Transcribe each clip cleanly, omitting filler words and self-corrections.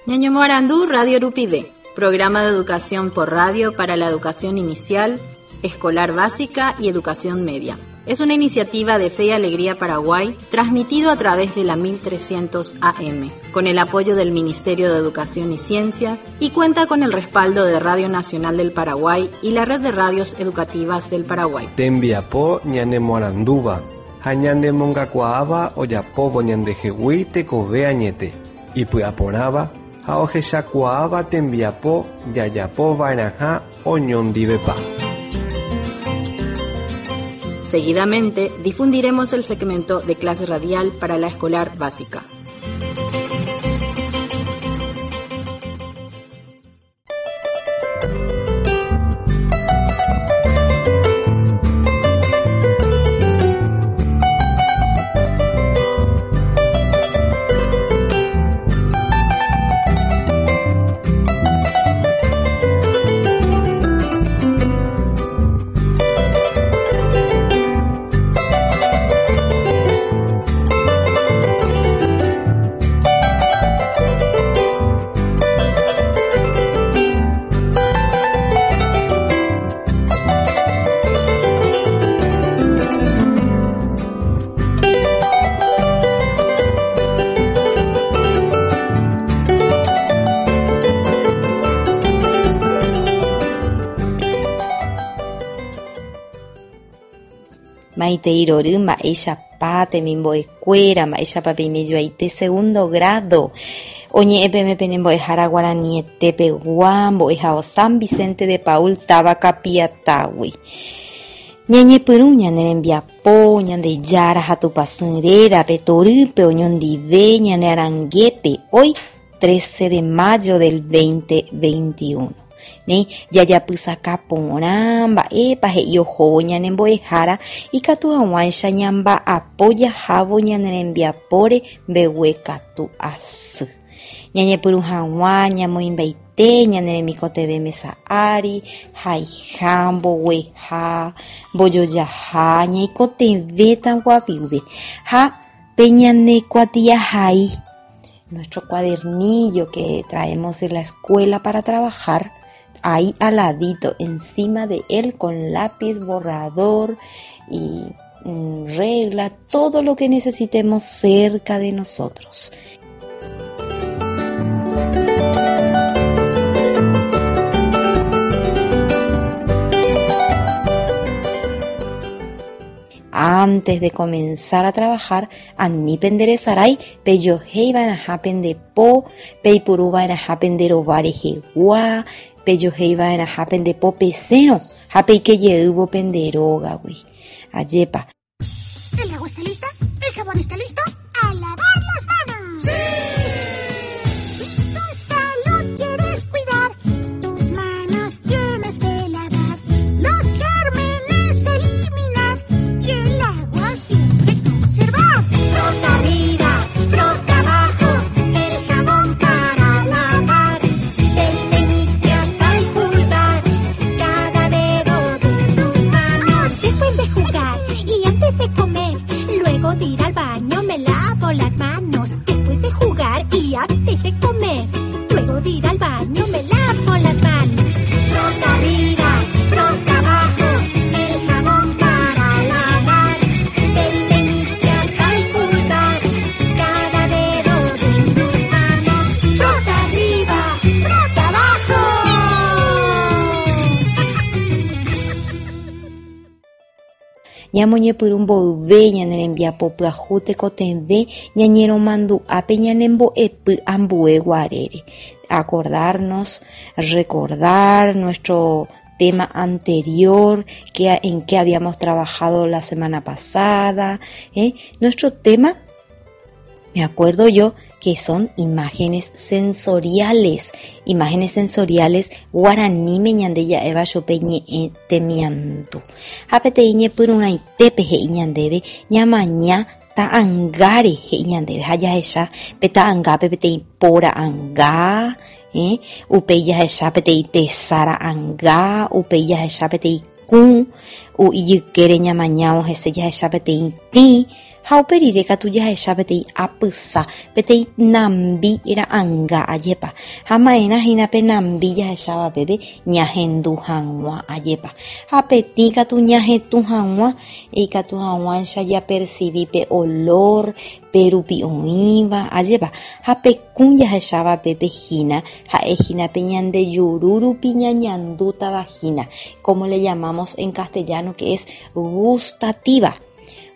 Ñañomoarandu Radio Rupive, programa de educación por radio para la educación inicial, escolar básica y educación media. Es una iniciativa de Fe y Alegría Paraguay, transmitido a través de la 1300 AM, con el apoyo del Ministerio de Educación y Ciencias y cuenta con el respaldo de Radio Nacional del Paraguay y la Red de Radios Educativas del Paraguay. Tembiapo ñanemoarandúva ha ñanemongakuaáva ojapóvo ñandehegui tekove añete, ipy'aporãva ha ohechakuaáva tembiapo jajapova'erãha oñondivepa. Seguidamente difundiremos el segmento de clase radial para la escolar básica. Maitei rory mba'éichapa temimbo'ekuéra, mba'éichapa peimejoaite segundo grado. Oñe'ẽ peme pene mbo'ehára guaraniete pegua mbo'ehao San Vicente de Paul táva Kapiatágui. Ñañepyrũ ñane rembiapo Ñandejára ha Tupãsy rérape torýpe oñondive ñane arangépe hoy 13 de mayo del 2021. Néi, jajapysaka porã mba'épa he'i ohóvo ñane mbo'ehára ikatu hag̃uáicha ñamba'apo jahávo ñane rembiapóre mbeguekatu asy. Ñañepyrũ hag̃ua ñamoĩmbaite ñane remikotevẽ mesa ári, haiha, mbogueha, mbojojaha, ñaikotevẽta guaviuve ha pe ñane kuatiahai. Nuestro cuadernillo que traemos de la escuela para trabajar, ahí al ladito, encima de él con lápiz, borrador y mm, regla, todo lo que necesitemos cerca de nosotros. Antes de comenzar a trabajar, ani penderesarái pejohéi va'erãha pende po, peipuru va'erãha pende rova rehegua, pejohéi va'erãha pende po pesẽrõ ha peike jeývo pende rógagui. Ajépa. El agua está lista, el jabón está listo, ¡a lavar las manos! ¡Sí! Si tu salud quieres cuidar, tus manos tienes que lavar, los gérmenes eliminar y el agua siempre conservar. Frota arriba, frota abajo, el jabón para lavar, del meñique hasta el pulgar, cada dedo de tus manos. Después de jugar y antes de comer, luego de ir al baño me lavo las manos. Después de jugar y antes de comer, luego de ir al baño me lavo las manos. Frota arriba, frota abajo, el jabón para lavar, del meñique hasta el pulgar, cada dedo de tus manos. Frota arriba, frota abajo. Ñamoñepyrũ mboyve ñane rembiapo pyahu tekotevẽ ñañeromandu'a pe ñanembo'epy ambue guarére. Acordarnos, recordar nuestro tema anterior, que, en qué habíamos trabajado la semana pasada. ¿eh? Nuestro tema, me acuerdo yo, que son imágenes sensoriales. Imágenes sensoriales guaraníme ñande ja'éva chupe ñe'ẽ temiandu. Ha peteĩ ñepyrũrãitépe he'i ñandéve ñamaña ta'angáre he'i ñandéve ha jahecha pe ta'angápe peteĩ po ra'anga, eh, upéi jahecha peteĩ tesa ra'anga, upéi jahecha peteĩ kũ, ijykére ñamañávo hese jahecha peteĩ tĩ. Ha upe rire katu jahecha peteĩ apysa, peteĩ nambi ra'anga ajépa. Ha ma'erã hína pe nambi jahecháva peve ñahendu hag̃ua ajépa. Ha pe tĩ katu ñahetũ hag̃ua, ikatu hag̃uáicha japercibi pe olor pe rupi oĩva, ajépa. Ha pe kũ jahecháva pépe hína, ha'e hína pe ñande juru rupi ñañandútava hína, como le llamamos en castellano que es gustativa.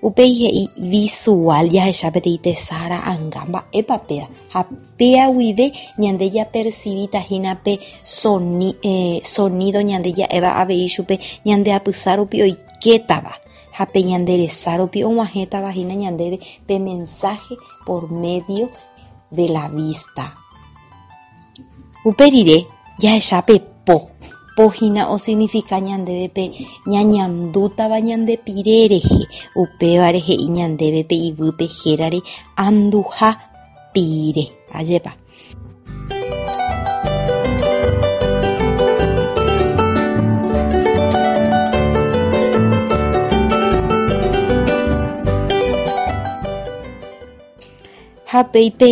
Upéi he'i visual jahecha peteĩ tesa ra'anga mba'épa péva ha péa guive ñande japercivíta hína pe sonido ñande ja'éva avei chupe ñande apysa rupi oikétava ha pe ñande resa rupi og̃uahẽtava hína ñandéve pe mensaje por medio de la vista. Upe rire jahecha pe po. Po hína osignifika ñandéve pe ñañandútava ñande pire rehe, upévare he'i ñandéve pe iguýpe hérare anduha pire. Ajépa. Ha péi pe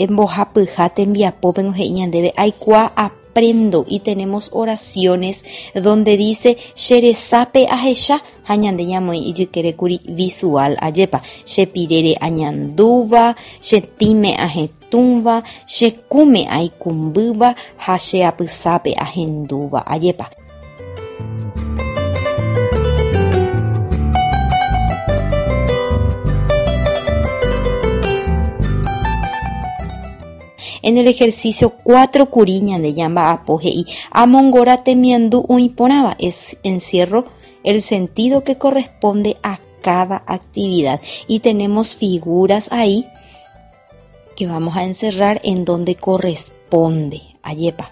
mbohapyha tembiapópengo he'i ñandéve, Aikuaa aprendo y tenemos oraciones donde dice che resápe ahecha ha ñande ñamoĩ ijykérekuri visual ajépa, che pirére añandúva, che tĩme ahetũva, che kũme aikũmbýva ha che apysápe ahendúva ajépa. En el ejercicio 4 kuri ñande ñamba'apo he'i amongora temiandu oĩ porãva es encierro el sentido que corresponde a cada actividad y tenemos figuras ahí que vamos a encerrar en donde corresponde. Ajépa.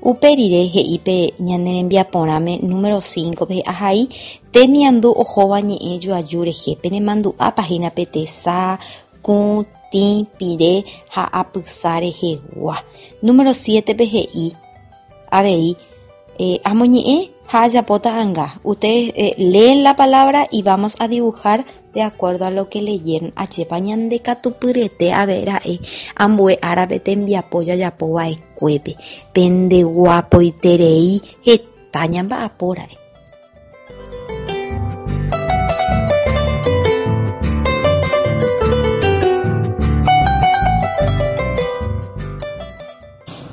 Upe rire he'i pe ñane rembiaporãme número 5-pe ahai temiandu ohóva ñe'ẽ joaju rehe penemandu'ápa hína pe tesa, kũ, tĩ, pire ha apysa rehegua. Número 7-pe he'i avei, Amoñe'ẽ ha ajapo ta'anga. Ustedes leen la palabra y vamos a dibujar de acuerdo a lo que leyeron. Ajépa ñande katupyrete ave ra'e ambue árape tembiapo jajapo va'ekuépe. Pende guapoiterei heta ñamba'apo ra'e.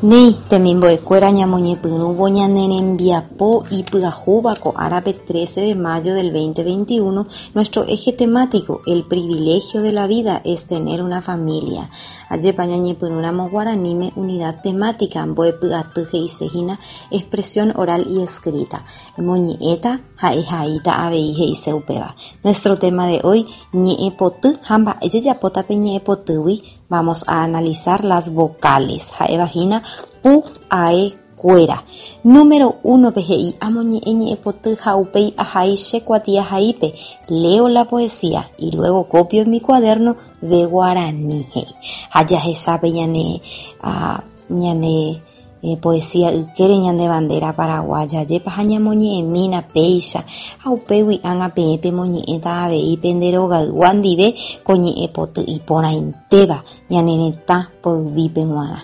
Néi, temimbo'ekuéra ñamoñepyrũvo ñane rembiapo ipyahúva ko árape 13 de mayo del 2021, nuestro eje temático, El privilegio de la vida es tener una familia. Ajépa ñañepyrũramo guaraníme unidad temática mbo'epy aty he'ise hína expresión oral y escrita. Emoñe'ẽta ha ehaíta avei he'ise upéva. Nuestro tema de hoy, ñe'ẽpoty ha mba'e jajapóta pe ñe'ẽpotýgui, vamos a analizar las vocales, ha'éva hína pu ae kuéra. Número uno pe he'i amoñe'ẽ ñe'ẽpoty ha upéi ahai che kuatiahaípe, leo la poesía y luego copio en mi cuaderno de guaraní he'i. Ha jahecha pe ñane ñane Poesía ykére ñande bandera paraguaya, ajépa ha ñamoñe'ẽmína péicha, ha upégui ág̃a peẽ pemoñe'ẽta avei pende rogaygua ndive ko ñe'ẽpoty iporãitéva ñane retã poyvípe g̃uarã.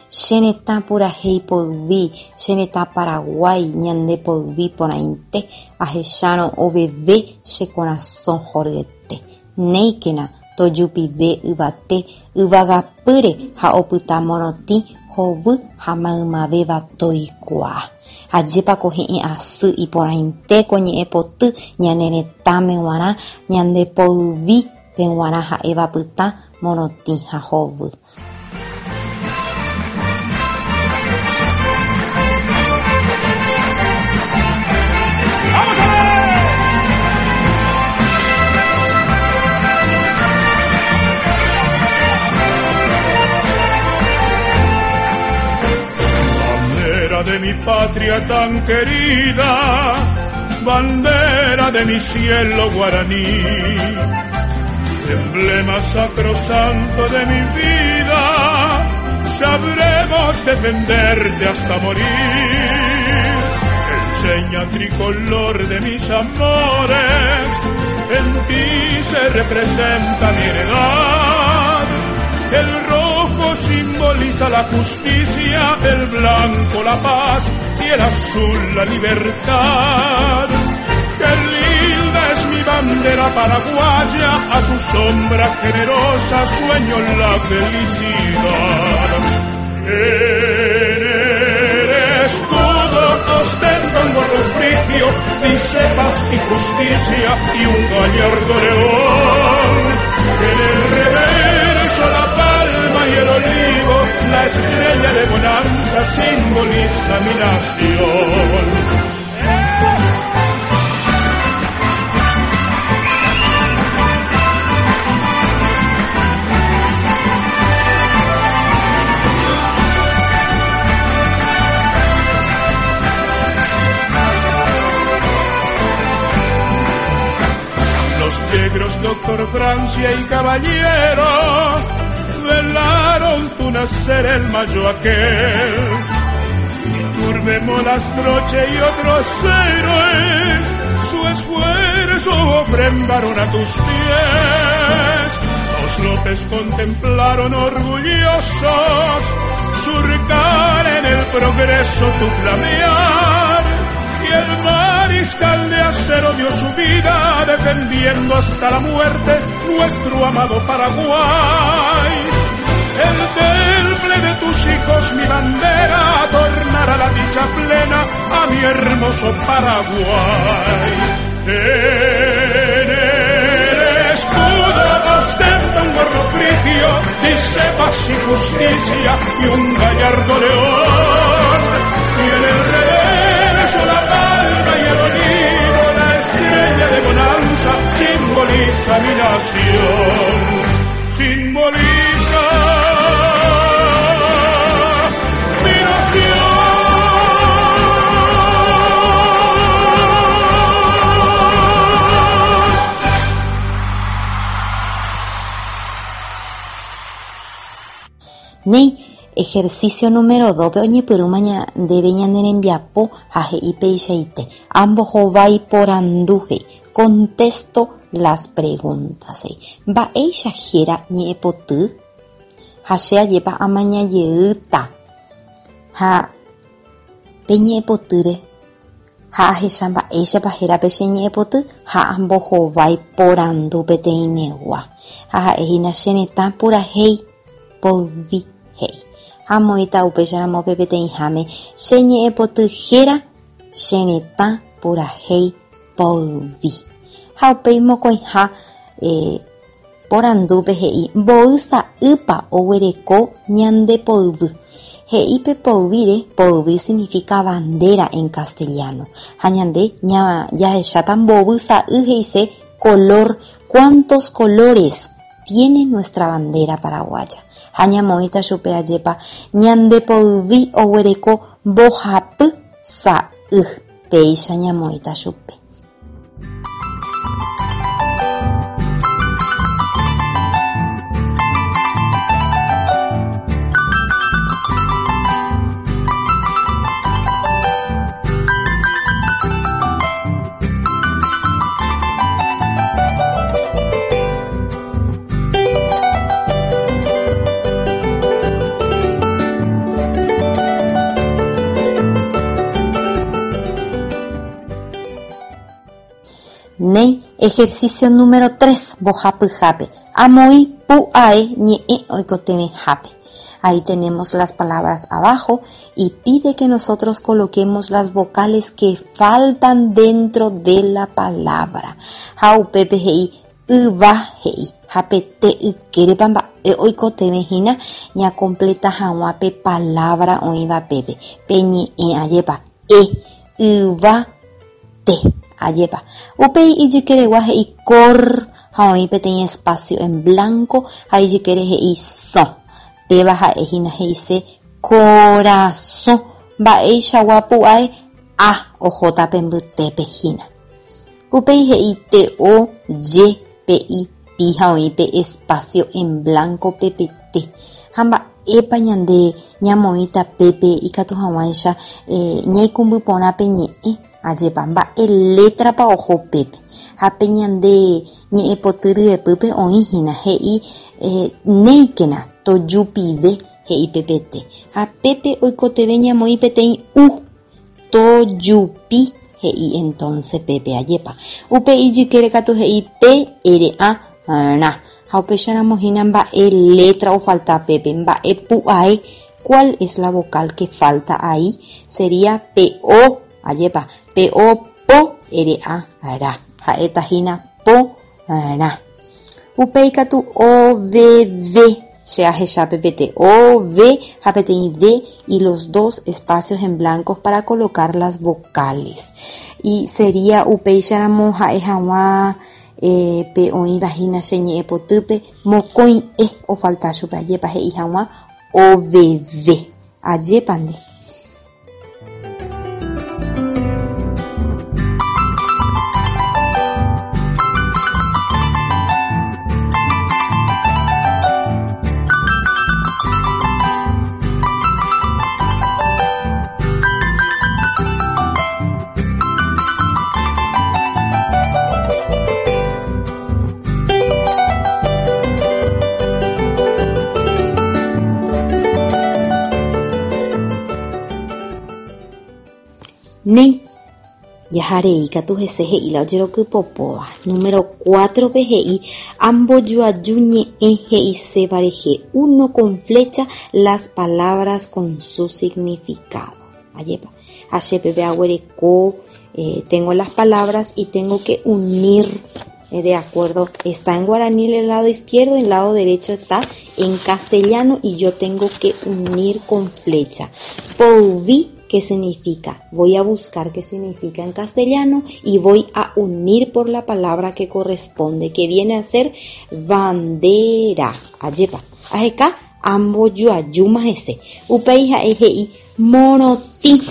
Che retã purahéi poyvi, che retã Paraguái ñande poyvi porãite, ahechárõ oveve che korasõ horyete. Néikena, tojupive yvate yvagapýre ha opyta morotĩ hovy ha maymavéva toikuaa. Ajépa ko he'ẽ asy iporãite ko ñe'ẽ poty ñane retãme g̃uarã, ñande poyvi peg̃uarã ha'éva pytã, morotĩ ha hovy. Bandera de mi patria tan querida, bandera de mi cielo guaraní, emblema sacrosanto de mi vida. Sabremos defenderte hasta morir. Enseña tricolor de mis amores, en ti se representa mi heredad. El rojo simboliza la justicia, el blanco la paz y el azul la libertad. Qué linda es mi bandera paraguaya, a su sombra generosa sueño la felicidad. En el escudo ostenta un gorro frigio, dice paz y justicia y un gallardo león. En el reverso la palma y el olivo, la estrella de bonanza simboliza mi nación. Los negros, doctor Francia y caballero, velaron tu nacer el mayo aquel. Iturbe, Molastroche y otros héroes su esfuerzo ofrendaron a tus pies. Los López contemplaron orgullosos surcar en el progreso tu flamear. Y el mariscal de acero dio su vida defendiendo hasta la muerte nuestro amado Paraguay. El temple de tus hijos, mi bandera, tornará la dicha plena a mi hermoso Paraguay. En el escudo ostenta un gorro frigio, dice paz y justicia y un gallardo león. Y en el reverso la palma y el olivo, la estrella de bonanza, simboliza mi nación. Simboliza mi nación. Néi, ejercicio número 2-pe oñepyrũma ndéve ñane rembiapo ha he'i peichaite. Ambohovái porandu he'i. Contesto las preguntas he'i. Mba'éicha héra ñe'ẽpoty? Ha che ajépa amaña jeýta ha pe ñe'ẽpotýre ha ahecha mba'éichapa héra pe che ñe'ẽpoty ha ambohovái porandu peteĩmegua. Ha ha'e hína che retã purahéi poyvi he'i. Ha amoĩta upéicharamo pe peteĩháme che ñe'ẽpoty héra che retã purahéi poyvi. Ha upéi mokõiha porandúpe he'i mboy sa'ýpa oguereko ñande poyvy. He'i pe poyvíre, poyvi significa bandera en castellano. Ha ñande jahecháta mbovy sa'y he'ise color, cuántos colores tiene nuestra bandera paraguaya. Ha ñamoĩta chupe ajépa ñande poyvi oguereko mbohapy sa'y. Péicha ñamoĩta chupe. Néi, ejercicio número 3, mbohapyhápe. Amoĩ pu'ae ñe'ẽ oikotevẽhápe. Ahí tenemos las palabras abajo y pide que nosotros coloquemos las vocales que faltan dentro de la palabra. Ha upépe he'i yva he'i ha pe te ykérepa mba'e oikotevẽ hína ñakompleta hag̃ua pe palabra oĩva pépe. Pe ñe'ẽ ajépa e, yva, te, ajépa. Upéi ijykeregua he'i kor ha oĩ peteĩ espacio en blanco ha ijykére he'i sõ. Péva ha'e hína he'ise korasõ. Mba'eichagua pu'ae a ohóta pe mbytépe hína. Upéi he'i te o je pe i pi ha oĩ pe espacio en blanco pe pe te. Ha mba'e. Mba'épa ñande ñamoĩta pépe ikatu hag̃uáicha ñaikũmby porã pe ñe'ẽ, ajépa mba'e létrapa oho pépe. Ha pe ñande ñe'ẽpoty ryepýpe oĩ hína he'i néikena tojupive he'i pepete. Ha pépe oikotevẽ ñamoĩ peteĩ u, tojupi he'i entonce pépe, ajépa. Upe ijykére katu he'i pe, ere, ã, rã. Ha upéicharamo hína mba'e letra ofalta pépe, mba'e pu'ae, cuál es la vocal que falta ahí? Sería pe o, ajépa, pe o po, ere, ã, ra. Ha'éta hína po, rã. Upéi katu o, ve, ve, che ahecha pepete o, ve ha peteĩ ve y los dos espacios en blancos para colocar las vocales. Y sería upéicharamo ha'e hag̃ua pe oĩva hína che ñe'ẽpotýpe mokõi e ofalta chupe ajépa he'i hag̃ua oveve. Ajépa nde. Néi, jaharei katu hese he'i la ojerokypopóva. Número 4-pe he'i ambojoaju ñe'ẽ he'iséva rehe uno con flecha las palabras con su significado. Ajépa. Ha che peve aguereko, tengo las palabras y tengo que unir de acuerdo. Está en guaraní el lado izquierdo, el lado derecho está en castellano y yo tengo que unir con flecha. Poyvi, ¿qué significa? Voy a buscar qué significa en castellano y voy a unir por la palabra que corresponde, que viene a ser bandera. Ajépa. Aheka ambojoajúma hese. Upéi ha'e he'i morotĩ.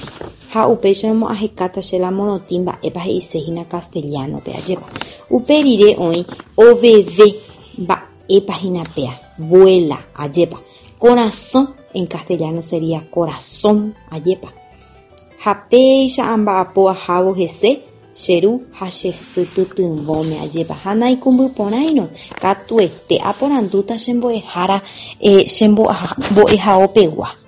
Ha upéicharamo ahekáta che la morotĩ mba'épa he'ise hína castellano-pe, ajépa. Upe rire oĩ oveve mba'épa hína péa, vuela, ajépa. Korasõ, en castellano sería corazón, ajépa. Ha péicha amba'apo ahávo hese che ru ha che sy pytyvõme, ajépa. Ha naikũmbyporãirõ, katuete aporandúta che mbo'ehára che mbo'ehaopegua.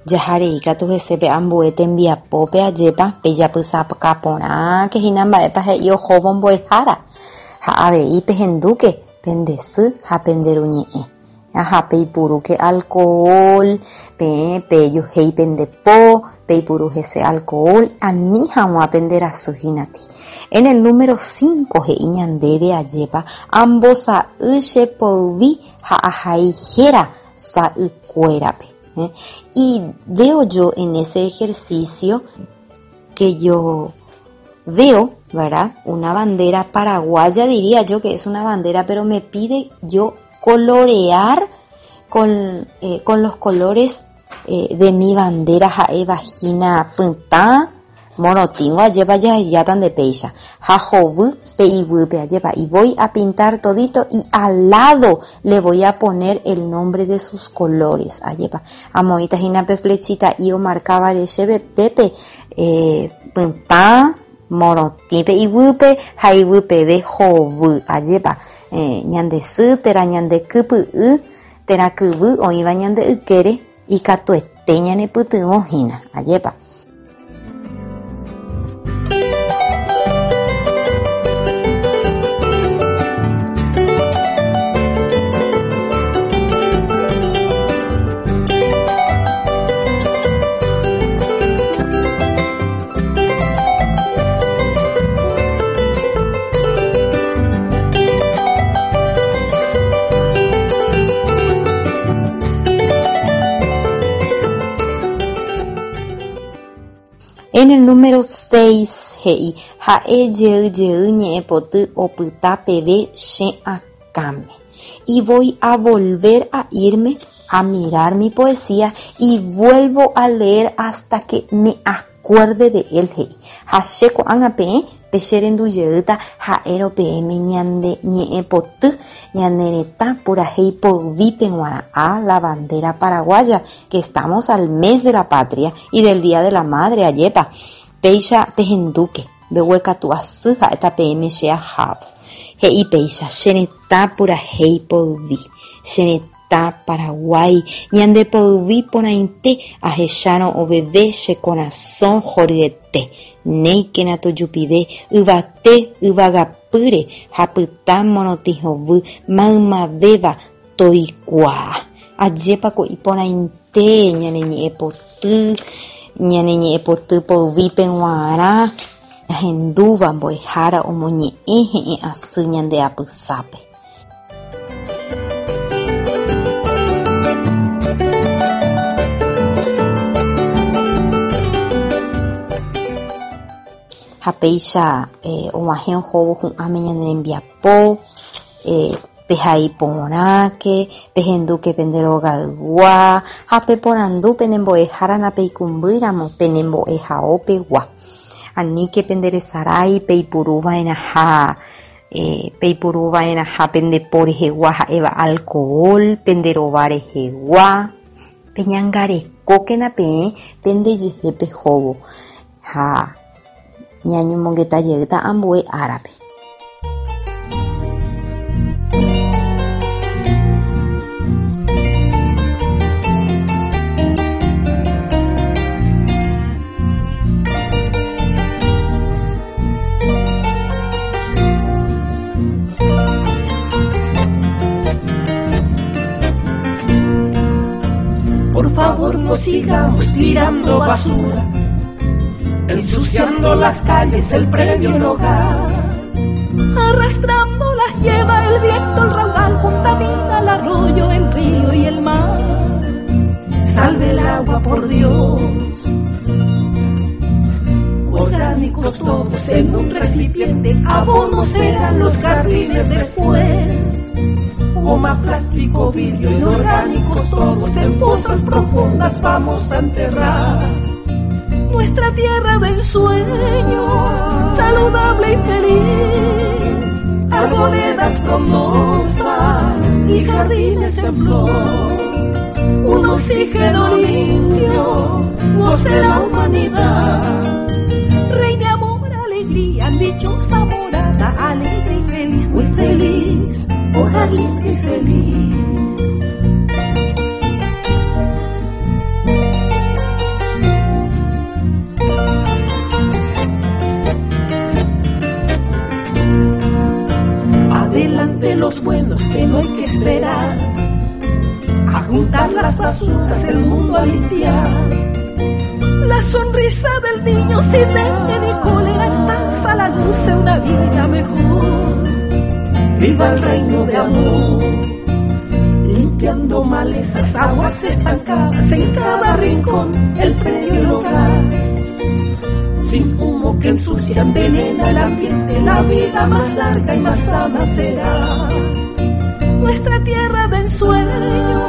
Jaharei katu hese pe ambue tembiapópe ajépa pejapysaka porãke hína mba'épa he'i ohóvo mbo'ehára ha avei pehendúke pende sy ha pende ru ñe'ẽ. Ha peipurúke alcohol, peẽ pejohéi pende po, peipuru hese alcohol ani hag̃ua pende rasy hínati. En el número cinco he'i ñandéve ajépa ambosa'y che poyvi ha ahai héra sa'ykuérape. Y veo yo en ese ejercicio que yo veo, ¿verdad? Una bandera paraguaya, diría yo que es una bandera, pero me pide yo colorear con, eh, con los colores eh, de mi bandera ha'éva hína pytã, morotĩngo ajépa jahejáta nde péicha ha hovy pe iguýpe ajépa y voy a pintar todito y al lado le voy a poner el nombre de sus colores ajépa amoĩta hína pe flechita'i omarkávare chéve pépe eh, pytã morotĩ pe iguýpe ha iguypeve hovy ajépa eh, ñande sy térã ñande kypy'y. térã kyvy oĩva ñande ykére ikatuete ñanepytyvõ hína. Ajépa. En el número 6 he'i, Ha'e jey jey ñe'ẽpoty opyta peve che akãme. Y voy a volver a irme a mirar mi poesía y vuelvo a leer hasta que me acuerde de él, he'i. Ha che ko'ág̃a peẽ pecherendujeýta ha'érõ peẽme ñande ñe'ẽpoty ñane retã purahéi poyvípe g̃uarã a la bandera paraguaya, que estamos al mes de la patria y del día de la madre, ajépa. Péicha pehendúke, mbeguekatu asy ha'éta peẽme che ahávo. He'i péicha, Che retã purahéi poyvi, che retã Paraguái, ñande poyvi porãite ahechárõ oveve che korasõ horyete. Néikena tojupive yvate yvagapýre ha pytã morotĩ hovy maymavéva toikuaa. Ajépa ko iporãite ñane ñe'ẽpoty, ñane ñe'ẽpoty poyvípe g̃uarã, ñahendúva mbo'ehára omoñe'ẽ he'ẽ asy ñande apysápe. Ha péicha og̃uahẽ ohóvo hu'ãme ñane rembiapo. Pehai porãke, pehendúke pende rogaygua ha peporandu pene mbo'ehára napeikũmbýramo pene mbo'ehao pegua. Aníke pende resarái peipuru va'erãha peipuru va'erãha pende po rehegua ha'éva alcohol pende rova rehegua. Peñangarekókena peẽ pendejehe pehóvo ha ñañomongeta jeýta ambue árape. Por favor, no sigamos tirando basura, ensuciando las calles, el predio, el hogar. Arrastrándolas lleva el viento, el raudal, contamina el arroyo, el río y el mar. Salve el agua, por Dios. Orgánicos todos en un recipiente, abonos serán los jardines después. Goma, plástico, vidrio, inorgánicos todos en fosas profundas vamos a enterrar. Nuestra tierra de ensueño, saludable y feliz, arboledas frondosas y jardines en flor. Un oxígeno limpio goce la humanidad. Reine amor, alegría, dichosa morada, alegre y feliz, muy feliz, hogar limpio y feliz. Adelante los buenos que no hay que esperar, a juntar las basuras, el mundo a limpiar. La sonrisa del niño sin dengue ni cólera alcanza la luz de una vida mejor. Viva el reino de amor, limpiando malezas, aguas estancadas en cada rincón, el predio y el hogar. Sin humo que ensucia, envenena el ambiente, la vida más larga y más sana será. Nuestra tierra de ensueño,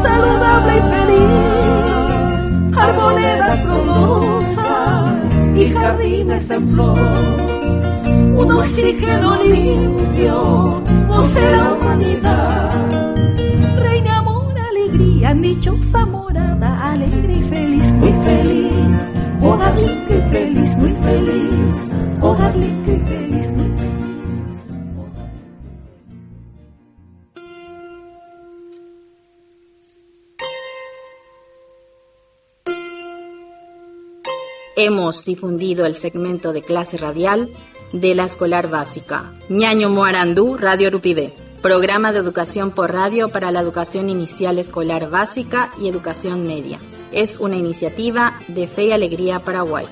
saludable y feliz, arboledas frondosas y jardines en flor. Un oxígeno limpio goce la humanidad. Reina amor, alegría, dichosa morada, alegre y feliz, muy feliz, hogar limpio y feliz, muy feliz, hogar limpio y feliz, muy feliz. Hemos difundido el segmento de clase radial de la escolar básica. Ñaño Moarandú, Radio Rupivé. Programa de educación por radio para la educación inicial escolar básica y educación media. Es una iniciativa de Fe y Alegría Paraguay.